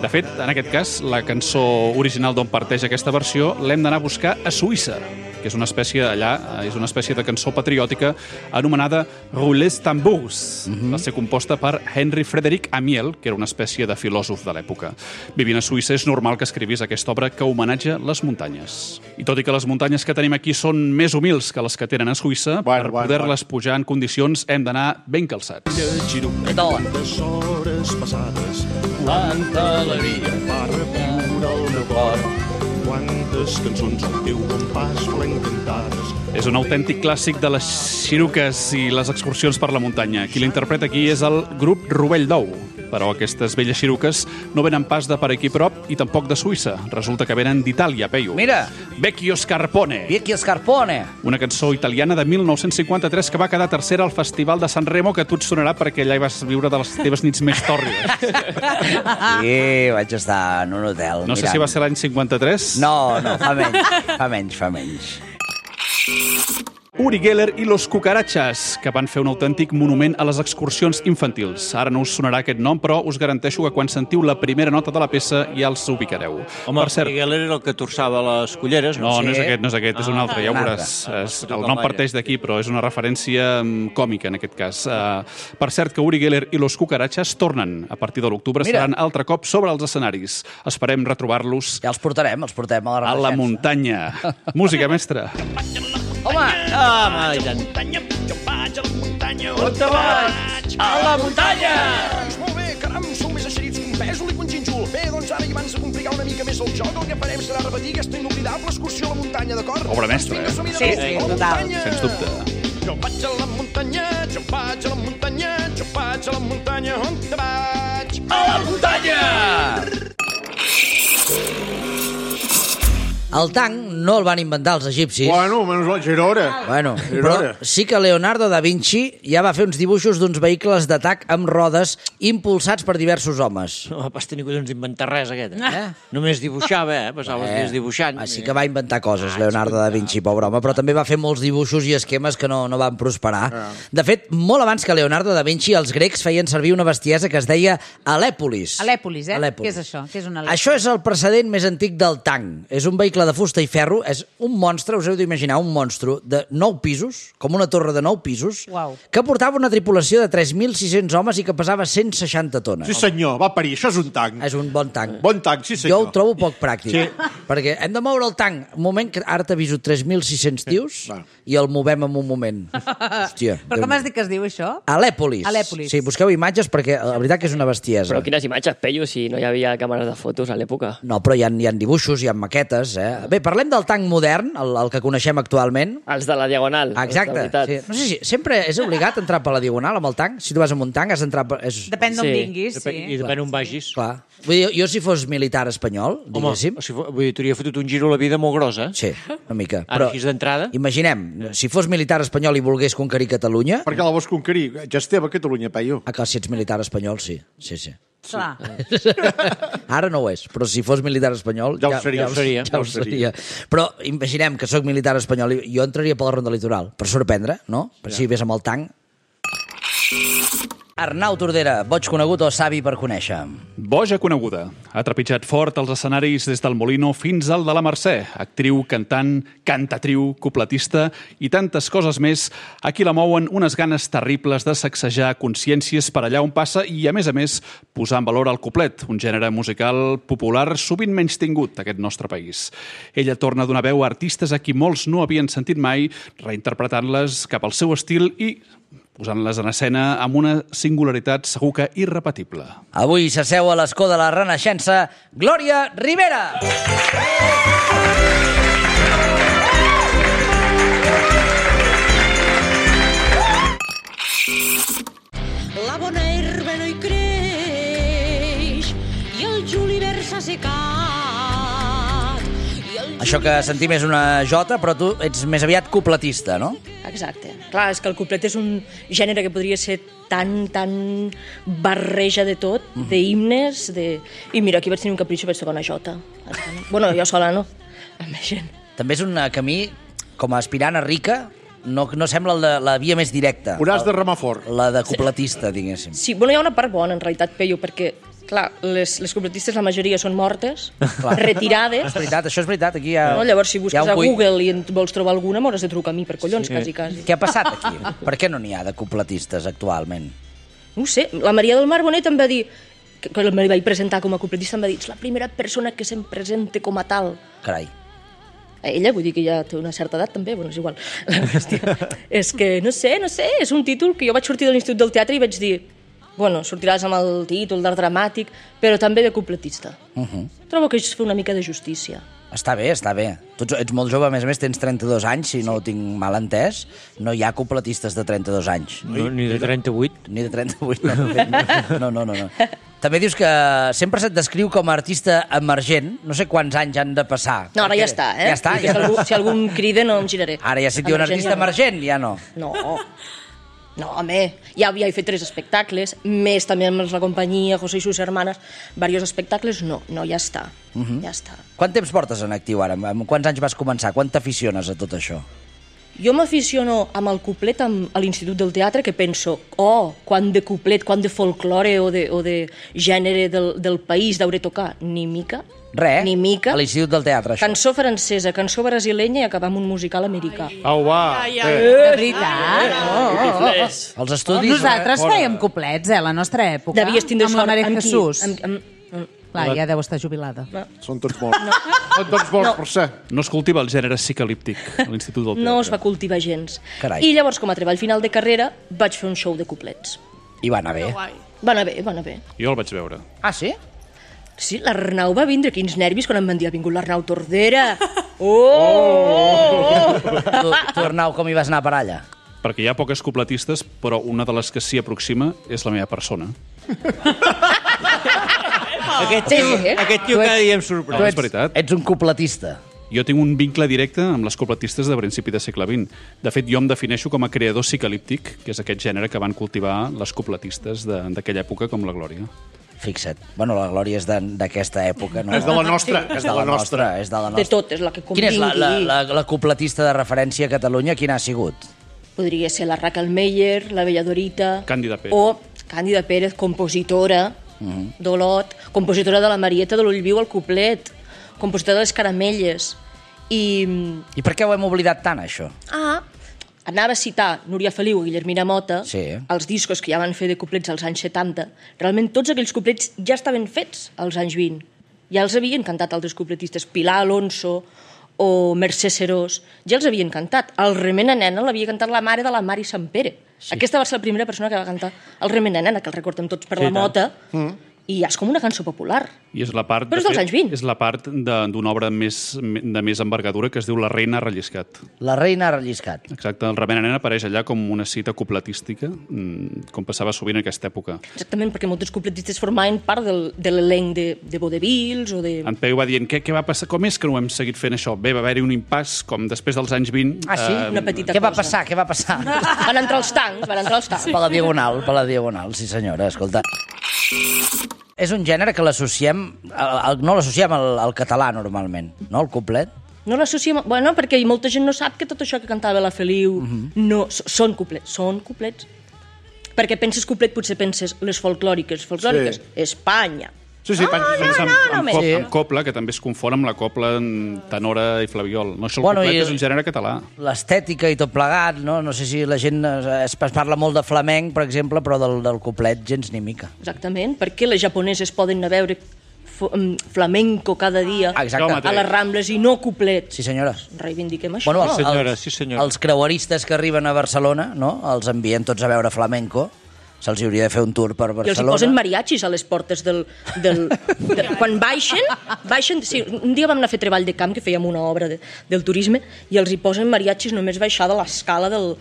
De fet, en aquest cas, la cançó original d'on parteix aquesta versió l'hem d'anar a buscar a Suïssa, que és una espècie de cançó patriòtica anomenada Roules Tambours. Va ser composta per Henry Frederic Amiel, que era una espècie de filòsof de l'època. Vivint a Suïssa és normal que escrivís aquesta obra que homenatja les muntanyes. I tot i que les muntanyes que tenim aquí són més humils que les que tenen a Suïssa, per poder-les pujar en condicions hem d'anar ben calçats. Quantes hores passades, quanta alegria va reviure el meu cor. Quantes cançons al teu bon pas volem cantades. És un autèntic clàssic de les xiruques i les excursions per la muntanya. Qui l'interpreta aquí és el grup Rovell d'Ou. Però aquestes velles xiruques no venen pas de per aquí prop i tampoc de Suïssa. Resulta que venen d'Itàlia, Peyu. Mira! Vecchio Scarpone. Vecchio Scarpone. Una cançó italiana de 1953 que va quedar tercera al Festival de Sanremo, que a tu et sonarà perquè allà hi vas viure de les teves nits més tòrrides. Sí, vaig estar en un hotel. No sé si va ser l'any 53. No, fa menys. Uri Geller i los Cucarachas, que van fer un autèntic monument a les excursions infantils. Ara no us sonarà aquest nom, però us garanteixo que quan sentiu la primera nota de la peça ja els ubicareu. Home, Uri Geller era el que torçava les culleres, no? No, no és aquest, és un altre, ja ho veuràs. El nom parteix d'aquí, però és una referència còmica, en aquest cas. Per cert, que Uri Geller i los Cucarachas tornen a partir de l'octubre, seran altre cop sobre els escenaris. Esperem retrobar-los... Ja els portem a la a la muntanya. Música, mestre. Home! Muntanya, jo vaig a la muntanya. On te vaig? A la muntanya! Doncs molt bé, caram, sou més eixerits que un pèsol i que un xinxul. Bé, doncs ara, i abans de complicar una mica més el joc, el que farem serà repetir aquesta inoblidable excursió a la muntanya, d'acord? Obra mestra, Sí, total. Sens dubte. Jo vaig a la muntanya, jo vaig a la muntanya, jo vaig a la muntanya, on te vaig? A la muntanya! El tanc no el van inventar els egipcis. Bueno, menys la Girona. Bueno, però sí que Leonardo da Vinci ja va fer uns dibuixos d'uns vehicles d'atac amb rodes impulsats per diversos homes. No vas tenir collons d'inventar res, aquest. Només dibuixava, passava els dies dibuixant. Sí que va inventar coses, Leonardo da Vinci, pobre home, però també va fer molts dibuixos i esquemes que no van prosperar. De fet, molt abans que Leonardo da Vinci, els grecs feien servir una bestiesa que es deia Alèpolis. Alèpolis, Què és això? Què és una Alèpolis? Això és el precedent més antic del tanc. És un vehicle arregla de fusta i ferro, és un monstre, us heu d'imaginar, un monstre de 9 pisos, com una torre de 9 pisos, que portava una tripulació de 3.600 homes i que pesava 160 tones. Sí, senyor, va parir, això és un tanc. És un bon tanc. Bon tanc, sí, Jo senyor. ho trobo poc pràctic, Sí. perquè hem de moure el tanc. Un moment, que ara t'aviso 3.600 tios i el movem en un moment. Hòstia. Però com has dit que es diu això? Alèpolis. Alèpolis. Sí, busqueu imatges perquè la veritat que és una bestiesa. Però quines imatges, Peyu, si no hi havia càmeres de fotos a l'època? No, però hi ha dibuixos, hi ha maquetes. Bé, parlem del tanc modern, el que coneixem actualment. Els de la Diagonal. Exacte. Sí. No sé si sempre és obligat entrar per la Diagonal amb el tanc. Si tu vas amb un tanc has d'entrar... Depèn d'on vinguis, sí. I depèn on vagis. Clar. Vull dir, jo si fos militar espanyol, diguéssim... Home, vull dir, t'hauria fotut un giro a la vida molt gros, eh? Sí, una mica. Ara, així d'entrada... Imaginem, si fos militar espanyol i volgués conquerir Catalunya... Per què la vols conquerir? Ja esteve a Catalunya, Peyu. Ah, clar, si ets militar espanyol, sí. Sí, sí. Clar. Ara no ho és, però si fos militar espanyol... Ja ho seria. Ja ho seria. Però imaginem que sóc militar espanyol i jo entraria per la ronda litoral, per sorprendre, no? Per si ves amb el tanc. Arnau Tordera, boig conegut o savi per conèixer? Boja coneguda. Ha trepitjat fort els escenaris des del Molino fins al de la Mercè. Actriu, cantant, cantatriu, cupletista i tantes coses més. Aquí la mouen unes ganes terribles de sacsejar consciències per allà on passa i, a més, posar en valor el cuplet, un gènere musical popular sovint menys tingut d'aquest nostre país. Ella torna a donar veu a artistes a qui molts no havien sentit mai, reinterpretant-les cap al seu estil i posant-les en escena amb una singularitat segur que irrepetible. Avui s'asseu a l'escó de la Renaixença Glòria Rivera. La bona herba no hi creix i el julivert s'ha secat. Això que sentim és una jota, però tu ets més aviat cupletista, no? Exacte. Clar, és que el cuplet és un gènere que podria ser tan barreja de tot, d'himnes, I mira, aquí vaig tenir un capritxo, vaig tocar una jota. Bueno, jo sola no, amb la gent. També és un camí, com a aspirant a rica, no sembla la via més directa. Hauràs de remar fort. La de cupletista, diguéssim. Sí, bueno, hi ha una part bona, en realitat, Peyu, perquè clar, les cupletistes la majoria són mortes, retirades. És veritat, això és veritat. Aquí hi ha... No? Llavors, si busques a Google i en vols trobar alguna, m'hauràs de trucar a mi per collons, quasi. Què ha passat aquí? Per què no n'hi ha de cupletistes actualment? No ho sé. La Maria del Mar Bonet em va dir, quan me vaig presentar com a cupletista, em va dir, ets la primera persona que se'm presenta com a tal. Carai. Ella, vull dir que ja té una certa edat també, bueno, és igual. La qüestió és que, no sé, és un títol que jo vaig sortir de l'Institut del Teatre i vaig dir, bueno, sortiràs amb el títol d'art dramàtic, però també de cupletista. Trobo que és fer una mica de justícia. Està bé, està bé. Tu ets molt jove, a més, tens 32 anys, si no ho tinc mal entès. No hi ha cupletistes de 32 anys. No, ni de 38. Ni de 38, no. També dius que sempre se't descriu com a artista emergent. No sé quants anys han de passar. No, ara ja està, eh? Ja està? Si algú em crida no em giraré. Ara ja si et diuen artista emergent, ja no. No, home, ja he fet 3 espectacles, més també amb la companyia, José i sus hermanes, diversos espectacles, no, ja està, ja està. Quant temps portes en actiu ara? Amb quants anys vas començar? Quan t'aficiones a tot això? Jo m'aficiono amb el cuplet a l'Institut del Teatre, que penso, quant de cuplet, quant de folklore o de gènere del país d'hauré tocar. Ni mica. Res, ni mica. A l'Institut del Teatre, això. Cançó francesa, cançó brasilenya i acabar amb un musical americà. Au, va. De veritat? Els estudis... Nosaltres fèiem cuplets, a la nostra època. Devies tindre amb la Maria amb qui? Jesús. Clar, ja deu estar jubilada. Són tots morts. Són tots morts, per ser. No es cultiva el gènere psicalíptic a l'Institut del Teatre. No es va cultivar gens. Carai. I llavors, com a treball final de carrera, vaig fer un show de cuplets. I va anar bé. Va anar bé. Jo el vaig veure. Ah, sí? Sí, l'Arnau va vindre, quins nervis quan em van dir, ha vingut l'Arnau Tordera. Tu, Arnau, com hi vas anar per allà? Perquè hi ha poques cupletistes, però una de les que s'hi aproxima és la meva persona. Aquest tio cada dia em sorprèn. No, és veritat. Ets un cupletista. Jo tinc un vincle directe amb les cupletistes de principi de segle XX. De fet, jo em defineixo com a creador psicalíptic, que és aquest gènere que van cultivar les cupletistes d'aquella època com la Glòria. Fixa't. Bueno, la Glòria és d'aquesta època, no? És de la nostra. És de la nostra. De tot, és la que Quina convingui. és la cupletista de referència a Catalunya? Quina ha sigut? Podria ser la Raquel Meyer, la Bella Dorita... Càndida Pérez. O Càndida Pérez, compositora d'Olot, compositora de la Marieta de l'Ull Viu al Cuplet, compositora de les Caramelles. I per què ho hem oblidat tant, això? Anava a citar Núria Feliu i Guillermina Mota, Sí. els discos que ja van fer de couplets als anys 70. Realment tots aquells couplets ja estaven fets als anys 20. Ja els havien cantat altres coupletistes, Pilar Alonso o Mercè Serós, ja els havien cantat. El Remena Nena l'havia cantat la mare de la Mari Sampere. Sí. Aquesta va ser la primera persona que va cantar el Remena Nena, que el recordem tots per la Mota, i ja és com una cançó popular. I és la part, Però és dels anys 20. És la part d'una obra de més envergadura que es diu La reina ha relliscat. La reina ha relliscat. Exacte, el Remena Nena apareix allà com una cita cupletística, com passava sovint en aquesta època. Exactament, perquè molts coupletistes formaven part de l'elenc de Vodevils o de... En Peu va dient, què va passar? Com és que no hem seguit fent això? Bé, va haver-hi un impàs, com després dels anys 20... Ah, sí? Una petita Què va cosa. passar? Què va passar? Van entrar els tancs. Per la diagonal, sí senyora, escolta. És un gènere que l'associem, no l'associem al català normalment, no, el couplet? No l'associem... Bueno, perquè molta gent no sap que tot això que cantava la Feliu no, són couplets. Perquè penses couplet, potser penses les folclòriques, Espanya. Sí, penses amb copla, que també es confon amb la copla tenora i flabiol. No, això el couplet és un gènere català. L'estètica i tot plegat, no? No sé si la gent es parla molt de flamenc, per exemple, però del couplet gens ni mica. Exactament, perquè les japoneses poden anar a veure flamenco cada dia a les Rambles i no couplet. Sí, senyora. Reivindiquem això. Bueno, els creueristes que arriben a Barcelona, no? Els envien tots a veure flamenco. Se'ls hauria de fer un tour per Barcelona. I els hi posen mariachis a les portes quan baixen... Sí, un dia vam anar a fer treball de camp, que fèiem una obra del turisme, i els hi posen mariachis només baixar de l'escala del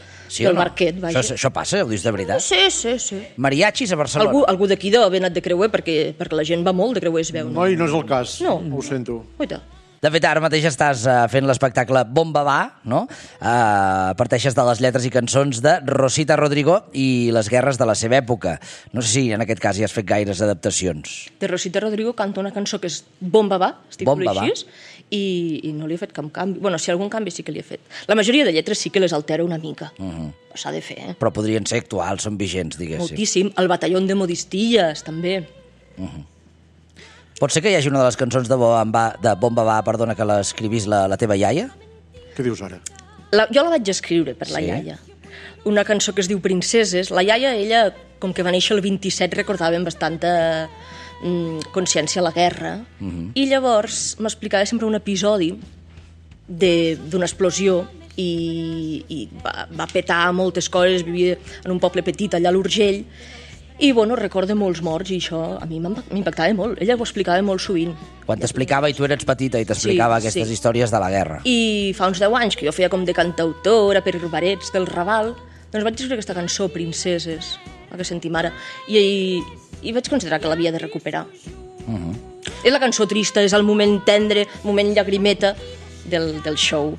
Marquet. Això passa, ho dius de veritat? Sí. Mariachis a Barcelona? Algú d'aquí deu haver anat de creuer, perquè la gent va molt de creuer, es veu. No, i no és el cas. No. Ho sento. Oita. De fet, ara mateix estàs fent l'espectacle Bomba Va, no? Parteixes de les lletres i cançons de Rosita Rodrigo i les guerres de la seva època. No sé si en aquest cas hi has fet gaires adaptacions. De Rosita Rodrigo canta una cançó que és Bomba Va, es titula així, i no li he fet cap canvi. Bueno, si algun canvi sí que li he fet. La majoria de lletres sí que les altera una mica. S'ha de fer, Però podrien ser actuals, són vigents, diguéssim. Moltíssim. El batallón de modistilles, també. Pot ser que hi hagi una de les cançons de Bomba Va, perdona, que l'escrivís la teva iaia? Què dius ara? Jo la vaig escriure per la iaia. Una cançó que es diu Princeses. La iaia, ella, com que va néixer el 27, recordava amb bastanta consciència a la guerra. I llavors m'explicava sempre un episodi d'una explosió i va petar moltes coses, vivia en un poble petit allà a l'Urgell. I, bueno, recorda molts morts i això a mi m'impactava molt. Ella ho explicava molt sovint. Quan t'explicava i tu eres petita i t'explicava aquestes històries de la guerra. I fa uns 10 anys que jo feia com de cantautora per barets del Raval, doncs vaig escriure aquesta cançó, Princeses, la que sentim ara, i vaig considerar que l'havia de recuperar. És la cançó trista, és el moment tendre, el moment llagrimeta del show.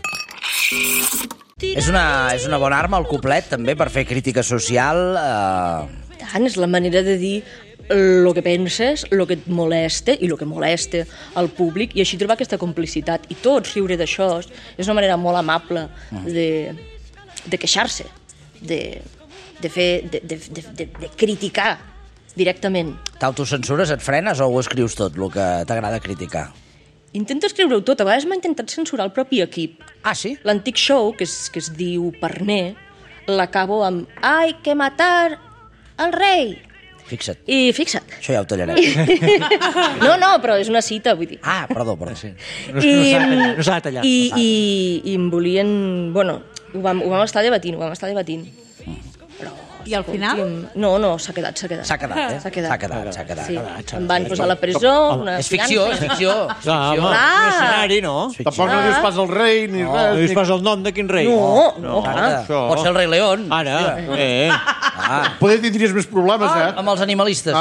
És una bona arma, el couplet, també, per fer crítica social. Tant, és la manera de dir el que penses, el que et molesta i el que molesta al públic, i així trobar aquesta complicitat. I tots riure d'això és una manera molt amable de queixar-se, de criticar directament. T'autocensures, et frenes o ho escrius tot, el que t'agrada criticar? Intento escriure-ho tot. A vegades m'ha intentat censurar el propi equip. Ah, sí? L'antic show, que es diu Parner, l'acabo amb «Hay que matar al rei». Fixa't. I fixa't. Això ja ho tallarem. No, però és una cita, vull dir. Ah, perdó. Sí. No s'ha de tallar. I em volien... Bueno, ho vam estar debatint. I al final? No, s'ha quedat. S'ha quedat. Sí. Em van posar a la presó. És ficció. Un escenari, no? Tampoc no dius pas el rei ni res. No dius pas el nom de quin rei. No. Pot ser el rei León. Ara, Poder tindries més problemes, amb els animalistes.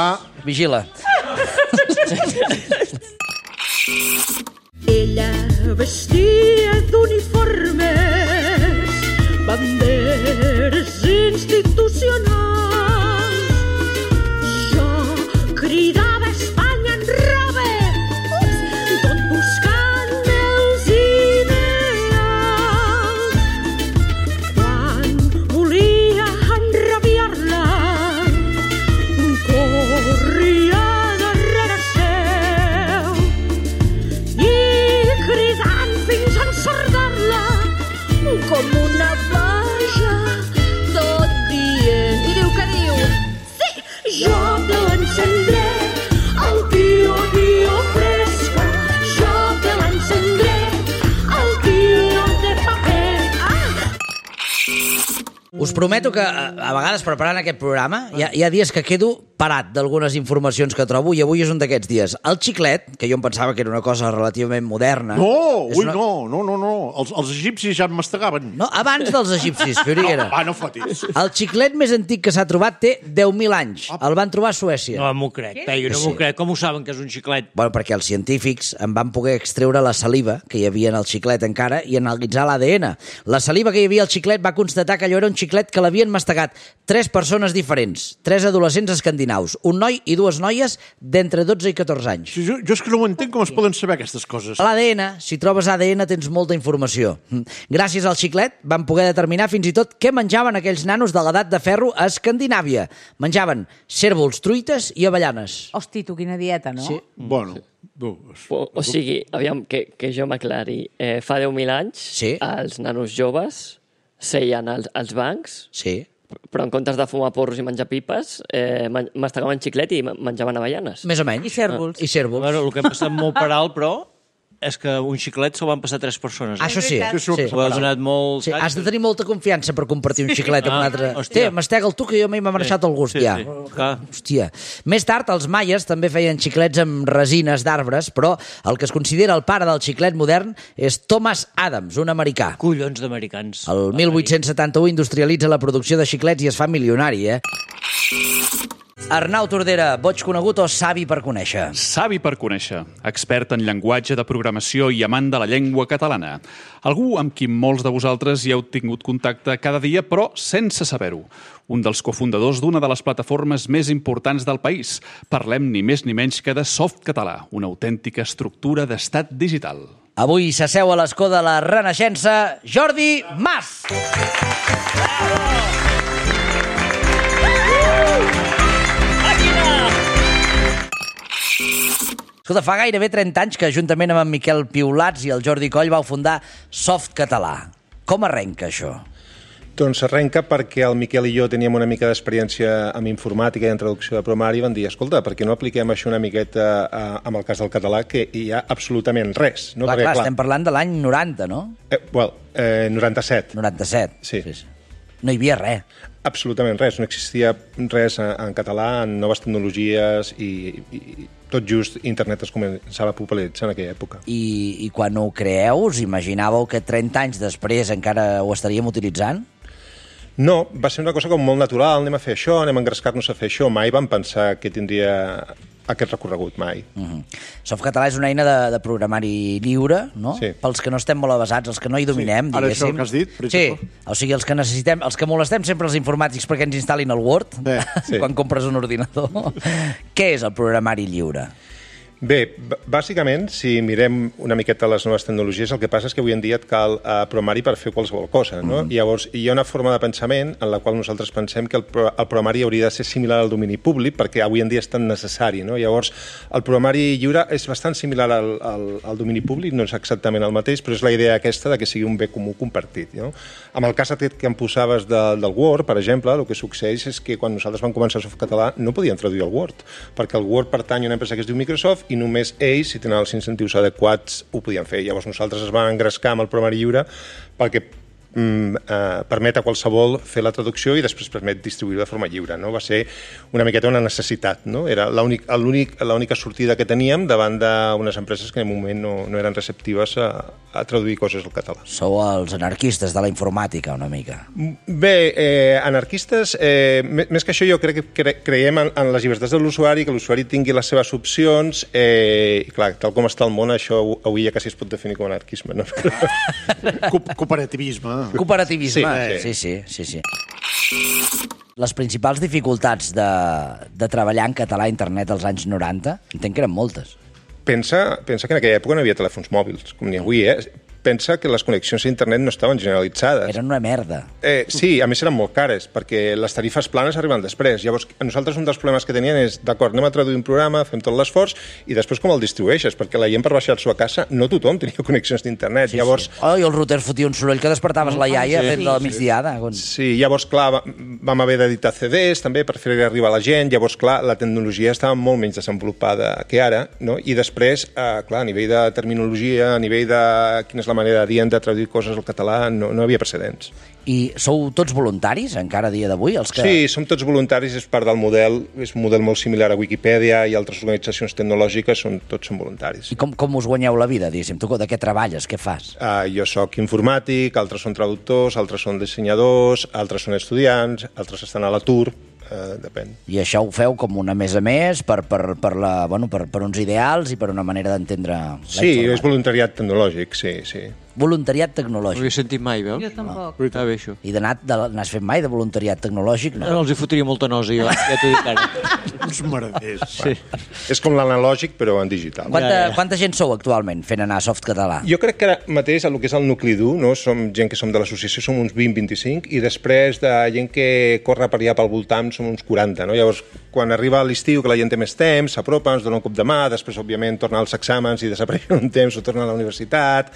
Vigila. Ella vestia d'uniformes, banderes institucionals. Jo cridava Espanya en roba, tot buscant els ideals. Quan volia enrabiar-la, corria darrere seu i cridant fins en sordina Us prometo que a vegades preparant aquest programa hi ha dies que quedo parat d'algunes informacions que trobo i avui és un d'aquests dies. El xiclet, que jo em pensava que era una cosa relativament moderna... No, no. Els egipcis ja en mastegaven. No, abans dels egipcis, Fioriguera. No fotis. El xiclet més antic que s'ha trobat té 10.000 anys. El van trobar a Suècia. No m'ho crec, Peyu, no m'ho crec. Com ho saben que és un xiclet? Bueno, perquè els científics en van poder extreure la saliva que hi havia en el xiclet encara i analitzar l'ADN. La saliva que hi havia al xiclet va constatar que allò era un xiclet que l'havien mastegat 3 persones diferents, 3 adolescents escandinaus, un noi i 2 noies d'entre 12 i 14 anys. Jo és que no ho entenc com es poden saber aquestes coses. A l'ADN, si trobes ADN, tens molta informació. Gràcies al xiclet van poder determinar fins i tot què menjaven aquells nanos de l'edat de ferro a Escandinàvia. Menjaven cérvols, truites i avellanes. Hosti, tu, quina dieta, no? Sí. Bueno... O sigui, aviam, que jo m'aclari. Fa 10.000 anys, els nanos joves seien als bancs, però en comptes de fumar porros i menjar pipes, mastegaven xiclet i menjaven avellanes. Més o menys. I cérvols. Bueno, el que ha passat molt per alt, però, és que un xiclet se'l van passar 3 persones. Això sí. Ho ha donat molt... Sí, has de tenir molta confiança per compartir un xiclet amb un altre. Hòstia, mastega'l tu, que jo m'he marxat el gust, ja. Hòstia. Més tard, els maies també feien xiclets amb resines d'arbres, però el que es considera el pare del xiclet modern és Thomas Adams, un americà. Collons d'americans. El 1871 industrialitza la producció de xiclets i es fa milionari, Arnau Tordera, boig conegut o savi per conèixer? Savi per conèixer, expert en llenguatge de programació i amant de la llengua catalana. Algú amb qui molts de vosaltres hi heu tingut contacte cada dia, però sense saber-ho. Un dels cofundadors d'una de les plataformes més importants del país. Parlem ni més ni menys que de Softcatalà, una autèntica estructura d'estat digital. Avui s'asseu a l'escó de la Renaixença, Jordi Mas! Escolta, fa gairebé 30 anys que juntament amb en Miquel Piulats i el Jordi Coll vau fundar Softcatalà. Com arrenca això? Doncs arrenca perquè el Miquel i jo teníem una mica d'experiència amb informàtica i en traducció de programari i van dir, escolta, per què no apliquem això una miqueta amb el cas del català, que hi ha absolutament res. No? Clar, estem parlant de l'any 90, no? 97. 97. Sí. No hi havia res. Absolutament res. No existia res en català, en noves tecnologies i tot just internet es començava a popularitzar en aquella època. I quan ho creeu, us imaginàveu que 30 anys després encara ho estaríem utilitzant? No, va ser una cosa com molt natural, anem a fer això, anem a engrescar-nos a fer això. Mai vam pensar que tindria aquest recorregut, mai. Softcatalà és una eina de programari lliure, no? Sí. Pels que no estem molt avasats, els que no hi dominem, Ara diguéssim. això que has dit, per exemple. Sí, o sigui, els que necessitem, els que molestem sempre els informàtics perquè ens instal·lin el Word, quan compres un ordinador. Què és el programari lliure? Bé, bàsicament, si mirem una miqueta les noves tecnologies, el que passa és que avui en dia et cal programari per fer qualsevol cosa, no? Llavors, hi ha una forma de pensament en la qual nosaltres pensem que el programari hauria de ser similar al domini públic, perquè avui en dia és tan necessari, no? Llavors, el programari lliure és bastant similar al domini públic, no és exactament el mateix, però és la idea aquesta de que sigui un bé comú compartit, no? Amb el cas aquest que em posaves del Word, per exemple, el que succeeix és que quan nosaltres vam començar a Softcatalà no podíem traduir el Word, perquè el Word pertany a una empresa que es diu Microsoft i només ells, si tenen els incentius adequats, ho podien fer. Llavors nosaltres es vam engrescar amb el programari lliure perquè permet a qualsevol fer la traducció i després permet distribuir de forma lliure, no? Va ser una miqueta una necessitat, no? Era l'única sortida que teníem davant d'unes empreses que en un moment no eren receptives a traduir coses al català. Sou els anarquistes de la informàtica, una mica. Bé, anarquistes, més que això jo crec que creiem en les llibertats de l'usuari, que l'usuari tingui les seves opcions, i clar, tal com està el món, això avui ja quasi es pot definir com anarquisme, no? Cooperativisme. Cooperativisme, sí. Les principals dificultats de treballar en català a internet als anys 90, entenc que eren moltes. Pensa que en aquella època no hi havia telèfons mòbils, com n'hi ha avui, Pensa que les connexions a internet no estaven generalitzades. Eren una merda. Sí, a més eren molt cares, perquè les tarifes planes arriben després. Llavors, a nosaltres un dels problemes que tenien és, d'acord, anem a traduir un programa, fem tot l'esforç, i després com el distribueixes? Perquè la gent per baixar-s'ho a casa, no tothom tenia connexions d'internet. Sí, llavors... I el router fotia un soroll que despertaves la iaia fent de la migdiada. Sí, llavors, clar, vam haver d'editar CDs també per fer arribar a la gent. Llavors, clar, la tecnologia estava molt menys desenvolupada que ara, no? I després, clar, a nivell de terminologia, a nivell de quina és la la manera dient de traduir coses al català, no hi havia precedents. I sou tots voluntaris, encara a dia d'avui? Sí, som tots voluntaris, és part del model, és un model molt similar a Wikipedia i altres organitzacions tecnològiques, tots són voluntaris. I com us guanyeu la vida, diguéssim? Tu de què treballes, què fas? Jo sóc informàtic, altres són traductors, altres són dissenyadors, altres són estudiants, altres estan a l'atur, depèn. I això ho feu com una més a més per uns ideals i per una manera d'entendre la informàtica? És voluntariat tecnològic, sí. Voluntariat tecnològic. No ho he sentit mai, veus? Jo tampoc. No. Està bé, això. I n'has fet mai de voluntariat tecnològic? No els hi fotria molta nosa, jo, ja t'ho dic ara. Uns merders. Sí. És com l'analògic, però en digital. Quanta gent sou actualment fent anar Softcatalà? Jo crec que ara mateix, el que és el nucli dur, no? Som gent que som de l'associació, som uns 20-25, i després de gent que corre per allà pel voltant som uns 40, no? Llavors, quan arriba l'estiu, que la gent té més temps, s'apropa, ens dona un cop de mà, després, òbviament, torna als exàmens i desapareix un temps o torna a la universitat,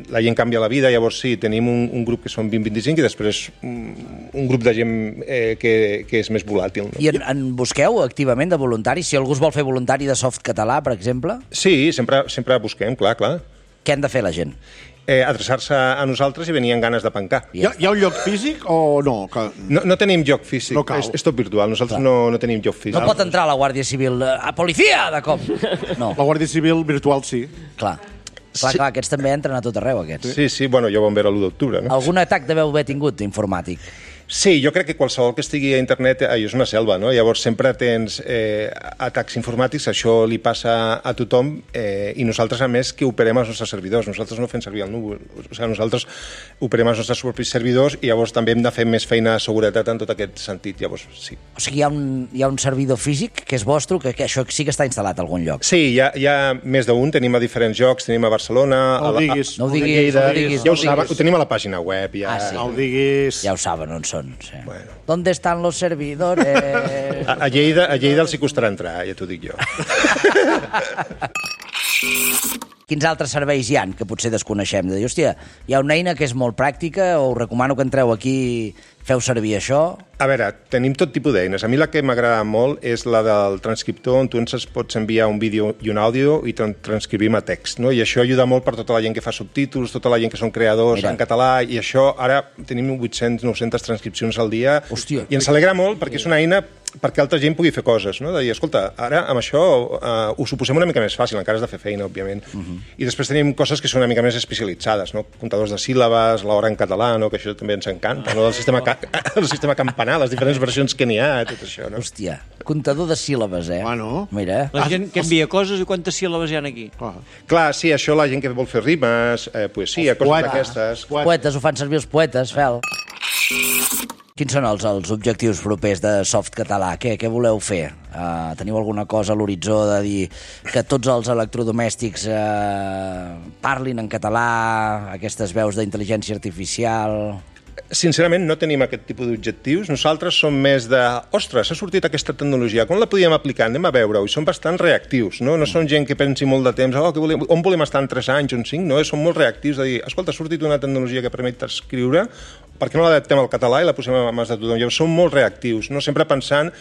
la gent canvia la vida, llavors sí, tenim un grup que són 20-25 i després un grup de gent que és més volàtil. No? I en busqueu activament de voluntaris? Si algú es vol fer voluntari de Softcatalà, per exemple? Sí, sempre busquem, clar. Què han de fer la gent? Adreçar-se a nosaltres i venir amb ganes de pencar. Hi ha un lloc físic o no? No tenim lloc físic, no és tot virtual, nosaltres no tenim lloc físic. No pot entrar la Guàrdia Civil a policia, de cop! No. La Guàrdia Civil virtual sí. Clar, aquests també entren a tot arreu, aquests. Sí, bueno, ja ho vam veure l'1 d'octubre, no? Algun atac deveu haver tingut informàtic? Sí, jo crec que qualsevol que estigui a internet és una selva, no? Llavors sempre tens atacs informàtics, això li passa a tothom, i nosaltres, a més, que operem els nostres servidors. Nosaltres no fem servir el núvol. O sigui, nosaltres operem els nostres propis servidors i llavors també hem de fer més feina de seguretat en tot aquest sentit. Llavors, sí. O sigui, hi ha un servidor físic que és vostre, que això sí que està instal·lat a algun lloc? Sí, hi ha més d'un, tenim a diferents llocs, tenim a Barcelona, No ho diguis. Ja ho saben, ho tenim a la pàgina web. Sí. No ho diguis. Ja ho saben on són. Sí. Bueno. ¿Dónde están los servidores? A Lleida els hi costarà entrar, ja t'ho dic jo. Quins altres serveis hi ha que potser desconeixem? De dir, hòstia, hi ha una eina que és molt pràctica, o us recomano que entreu aquí, feu servir això? A veure, tenim tot tipus d'eines. A mi la que m'agrada molt és la del transcriptor, on tu ens pots enviar un vídeo i un àudio i transcrivim a text, no? I això ajuda molt per tota la gent que fa subtítols, tota la gent que són creadors en català, i això ara tenim 800-900 transcripcions al dia. Hòstia. I ens alegra molt perquè és una eina perquè altra gent pugui fer coses, no? De dir, escolta, ara amb això ho suposem una mica més fàcil, encara has de fer feina, òbviament. I després tenim coses que són una mica més especialitzades, no? Comptadors de síl·labes, l'hora en català, no? Que això també ens encanta, no? El sistema campanar, les diferents versions que n'hi ha, tot això, no? Hòstia, comptador de síl·labes, Bueno. Mira. La gent que envia coses i quantes síl·labes hi ha aquí? Clar, sí, això la gent que vol fer rimes, poesia, coses d'aquestes. Poetes, ho fan servir els poetes, Fel. Quins són els objectius propers de Softcatalà? Què voleu fer? Teniu alguna cosa a l'horitzó de dir que tots els electrodomèstics parlin en català, aquestes veus d'intel·ligència artificial? Sincerament, no tenim aquest tipus d'objectius. Nosaltres som més de... Ostres, ha sortit aquesta tecnologia, com la podíem aplicar? Anem a veure-ho. I som bastant reactius, no? No som gent que pensi molt de temps, on volem estar en 3 anys o en 5, no? Som molt reactius de dir, escolta, ha sortit una tecnologia que permet escriure, per què no l'adaptem al català i la posem a mans de tothom? Llavors, som molt reactius, no? Sempre pensant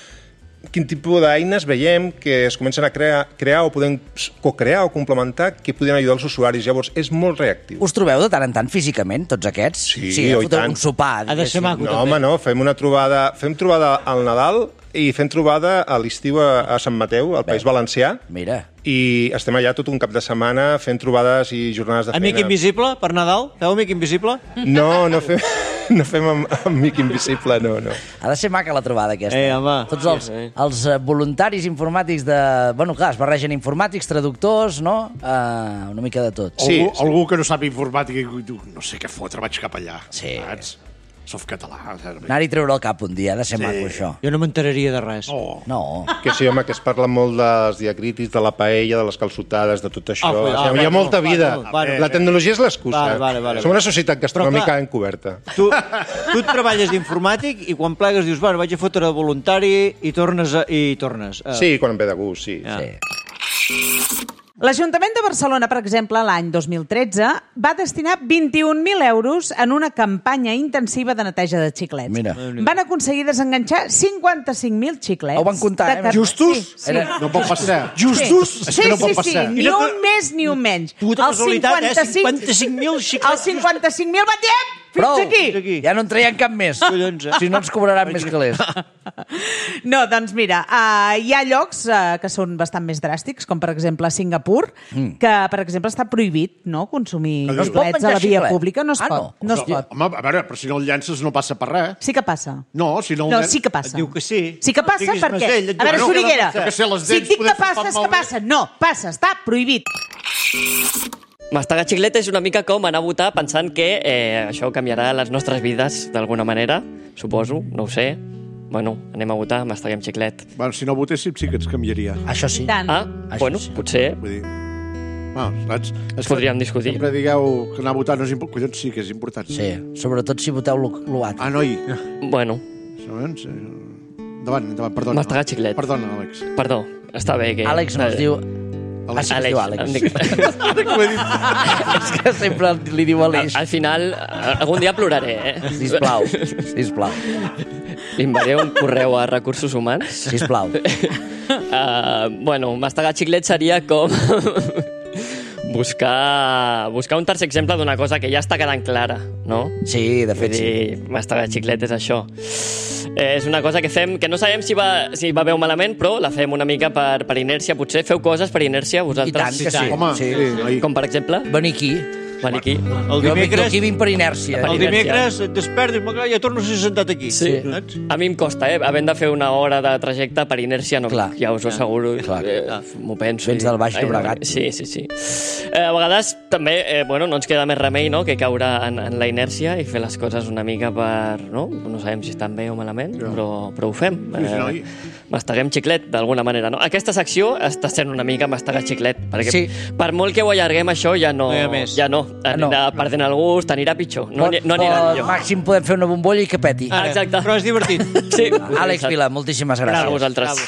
quin tipus d'eines veiem que es comencen a crear o podem co-crear o complementar que podrien ajudar els usuaris. Llavors, és molt reactiu. Us trobeu de tant en tant físicament, tots aquests? Sí, i tant. Un sopar. Ha de ser maco, no, home, no, fem trobada al Nadal i fem trobada a l'estiu a Sant Mateu, al País Valencià. Mira. I estem allà tot un cap de setmana fent trobades i jornades de feina. Amic invisible, per Nadal? Feu amic invisible? No fem amic invisible, no. Ha de ser maca la trobada aquesta. Home. Tots els voluntaris informàtics de... Bueno, clar, es barregen informàtics, traductors, no? Una mica de tot. Sí, algú que no sap informàtica i diu, no sé què fotre, vaig cap allà. Sí. Saps? Softcatalà. Anar-hi treure el cap un dia, ha de ser maco, això. Jo no m'enteraria de res. No. Que sí, home, que es parla molt dels diacrítics, de la paella, de les calçotades, de tot això. Hi ha molta vida. La tecnologia és l'excusa. Som una societat gastronòmica encoberta. Tu et treballes d'informàtic i quan plegues dius, bueno, vaig a fotre de voluntari i tornes. Sí, quan em ve de gust, sí. L'Ajuntament de Barcelona, per exemple, l'any 2013, va destinar 21.000 euros en una campanya intensiva de neteja de xiclets. Mira. Van aconseguir desenganxar 55.000 xiclets. Ho van comptar, Justos? Sí. No pot passar. Justos? És que no pot passar. Ni un més ni un menys. Puta casualitat, 55.000 xiclets. Els 55.000 van dir, fins aquí. Ja no en traiem cap més. Si no ens cobraran més calés. No, doncs mira, hi ha llocs que són bastant més dràstics, com per exemple a Singapur, que per exemple està prohibit consumir xiclets a la via pública. No es pot. No es pot. Home, a veure, però si no el llences no passa per res. Sí que passa. No, si no... No, sí que passa. Diu que sí. Sí que passa perquè... A veure, Soriguera, si et dic que passa, és que passa. No, passa, està prohibit. Mastegar xiclet és una mica com anar a votar pensant que això canviarà les nostres vides d'alguna manera, suposo, no ho sé. Bueno, anem a votar, masteguem xiclet. Bueno, si no votéssim sí que ens canviaria. Això sí. Bueno, potser. Vull dir... saps? Podríem discutir. Sempre digueu que anar a votar no és important. Collons, sí que és important. Sí, sobretot si voteu l'UAT. Ah, noi. Bueno. Endavant, perdona. Mastegar xiclet. Perdona, Àlex. Perdó, està bé que... Àlex no es diu... Àlex. Es diu Àlex. És que sempre li diu Àlex. Al final, algun dia ploraré, Sisplau. Li enviaré un correu a Recursos Humans. Sisplau. Bueno, mastegar xiclet seria com... buscar un tercer exemple d'una cosa que ja està quedant clara, no? Sí, de fet, sí. Mastegar xiclet és això. És una cosa que fem, que no sabem si va bé o malament, però la fem una mica per inèrcia. Potser feu coses per inèrcia vosaltres. I tant que sí. Home, sí. Com per exemple? Venir aquí. El dimecres... Jo aquí vinc per inèrcia. Per el dimecres et despertes, ja torno a ser sentat aquí. Sí. A mi em costa, havent de fer una hora de trajecte per inèrcia, no. Clar. Ja us ho asseguro. M'ho penso. Vens del Baix Llobregat. Sí. A vegades també, no ens queda més remei, no?, que caure en la inèrcia i fer les coses una mica per... No sabem si estan bé o malament, però ho fem. Masteguem xiclet, d'alguna manera, no? Aquesta secció està sent una mica mastegar xiclet, perquè per molt que ho allarguem això, ja no. Anirà perdent el gust, anirà pitjor. No anirà millor. Màxim podem fer una bombolla i que peti. Exacte. Però és divertit. Sí. Àlex Vila, moltíssimes gràcies. A vosaltres.